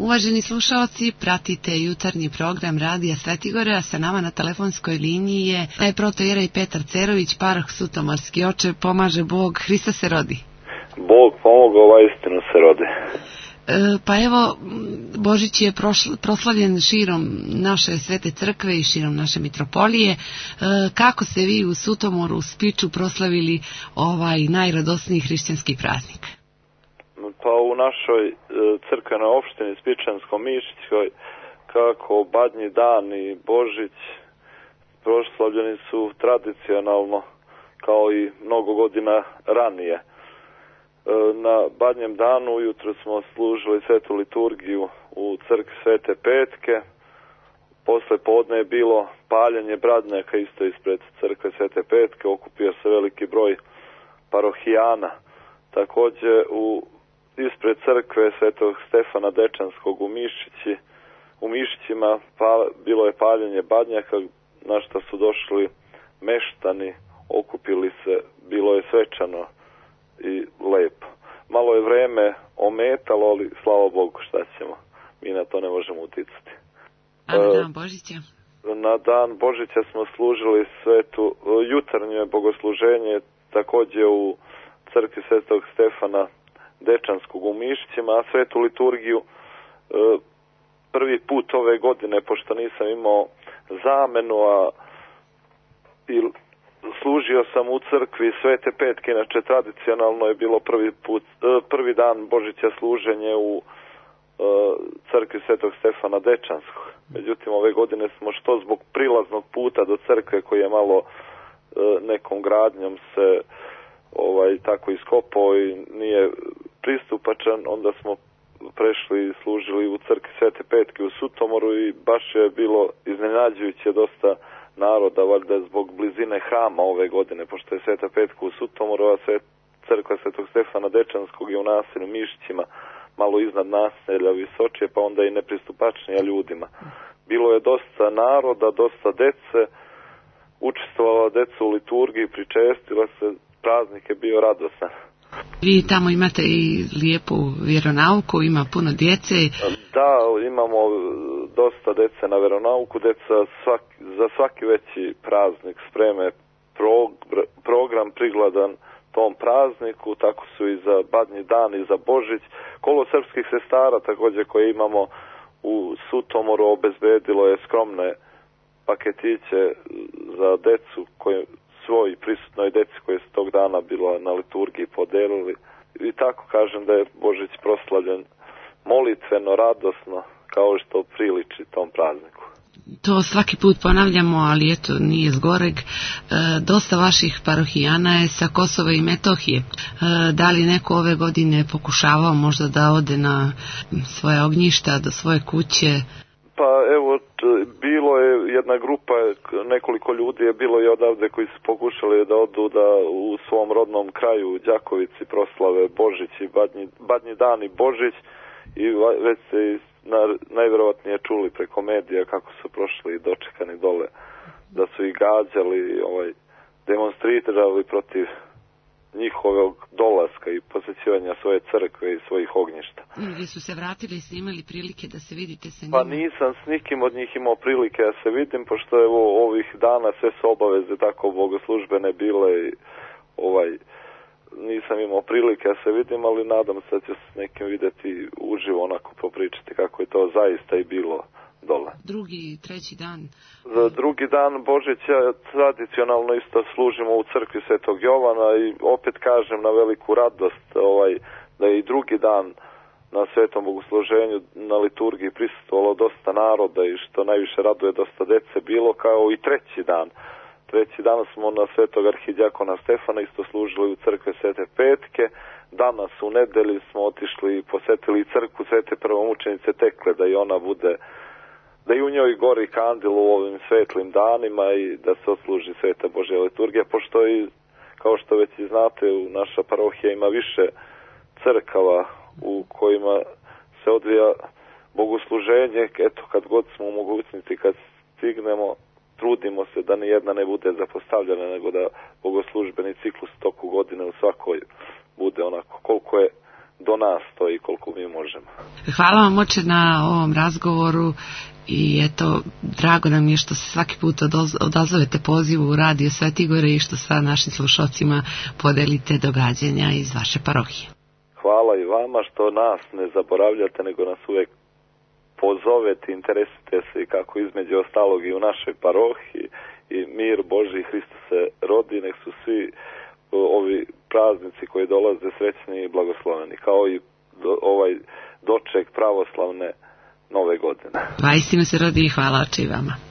Uvaženi slušalci, pratite jutarnji program Radija Svetigore, a sa nama na telefonskoj liniji je protoijerej Petar Cerović, paroh Sutomorski. Oče, pomaže Bog, Hrista se rodi. Bog pomogao, istinu se rodi. Pa evo, Božić je proslavljen širom naše Svete crkve i širom naše mitropolije. Kako ste vi u Sutomoru, u Spiču proslavili ovaj najradosniji hrišćanski praznik? Pa u našoj crkvenoj opštini Spičansko-Mišićkoj, kako Badnji dan i Božić proslavljeni su tradicionalno kao i mnogo godina ranije. Na Badnjem danu ujutro smo služili svetu liturgiju u crkvi Svete Petke. Posle podne je bilo paljenje bradnjaka isto ispred crkve Svete Petke. Okupio se veliki broj parohijana. Također ispred crkve Svetog Stefana Dečanskog u Mišićima bilo je paljenje badnjaka, na što su došli meštani, okupili se, bilo je svečano i lepo. Malo je vreme ometalo, ali slava Bogu, šta ćemo, mi na to ne možemo uticati. A na dan Božića? Na dan Božića smo služili jutarnje bogosluženje, također u crkvi Svetog Stefana Dečanskog u Mišićima, a svetu liturgiju prvi put ove godine, pošto nisam imao zamenu, i služio sam u crkvi Svete Petke, inače tradicionalno je bilo prvi dan Božića služenje u crkvi Svetog Stefana Dečanskog. Međutim, ove godine smo što zbog prilaznog puta do crkve koji je malo nekom gradnjom se tako iskopao i nije pristupačan, onda smo prešli i služili u crkvi Svete Petke u Sutomoru i baš je bilo iznenađujuće dosta naroda, valjda zbog blizine hrama ove godine, pošto je Sveta Petka u Sutomoru, a crkva Svetog Stefana Dečanskog je u naselju Mišićima, malo iznad naselja Visočije, pa onda i nepristupačnija ljudima. Bilo je dosta naroda, dosta dece, učestvovala deca u liturgiji, pričestila se, praznik je bio radosan. Vi tamo imate i lijepu vjeronauku, ima puno djece. Da, imamo dosta dece na vjeronauku, deca za svaki veći praznik spreme program prigladan tom prazniku, tako su i za Badnji dan i za Božić. Kolo srpskih sestara također koje imamo u Sutomoru obezbedilo je skromne paketiće za decu koje svoj prisutnoj deci koje su tog dana bila na liturgiji podelili. I tako kažem da je Božić proslavljen molitveno, radosno, kao što priliči tom prazniku. To svaki put ponavljamo, ali eto, nije zgoreg. Dosta vaših parohijana je sa Kosova i Metohije. Da li neko ove godine pokušavao možda da ode na svoje ognjišta, do svoje kuće? Pa evo, bilo je jedna grupa, nekoliko ljudi je bilo i odavde koji su pokušali da odu da u svom rodnom kraju u Đakovici proslave Božić i Badnji dan i Božić, i već se najvjerovatnije čuli preko medija kako su prošli i dočekani dole, da su ih gađali, demonstrirali protiv njihovog dolaska i posjećivanja svoje crkve i svojih ognjišta. Gdje su se vratili i snimali prilike da se vidite sa njima? Pa nisam s nikim od njih imao prilike da se vidim, pošto ovih dana sve su obaveze tako bogoslužbene bile i nisam imao prilike da se vidim, ali nadam se da ću s nekim vidjeti uživo, onako popričati kako je to zaista i bilo dole. Drugi, treći dan? Za drugi dan Božića tradicionalno isto služimo u crkvi Svetog Jovana i opet kažem na veliku radost da je i drugi dan na svetom bogosluženju na liturgiji prisustvovalo dosta naroda i što najviše raduje dosta dece bilo, kao i treći dan. Treći dan smo na svetog arhidjakona Stefana isto služili u crkve Svete Petke. Danas u nedelji smo otišli i posjetili crkvu Svete prvomučenice Tekle, da i ona bude, da i u njoj gori kandil u ovim svetlim danima i da se odsluži Sveta Božja liturgija, pošto i, kao što već i znate, naša parohija ima više crkava u kojima se odvija bogosluženje. Eto, kad god smo u mogućnosti, kad stignemo, trudimo se da nijedna ne bude zapostavljena, nego da bogoslužbeni ciklus toku godine u svakoj bude onako koliko je do nas stoji koliko mi možemo. Hvala vam oče na ovom razgovoru i eto, drago nam je što se svaki put odazovete pozivu u Radio Svetigore i što sa našim slušalcima podelite događanja iz vaše parohije. Hvala i vama što nas ne zaboravljate, nego nas uvek pozovete, interesujete se kako između ostalog i u našoj parohiji i mir Božji Hristos se rodi, nek su svi ovi praznici koji dolaze srećni i blagosloveni, kao i ovaj doček pravoslavne nove godine. Vaistinu se rodi i hvala oče i vama.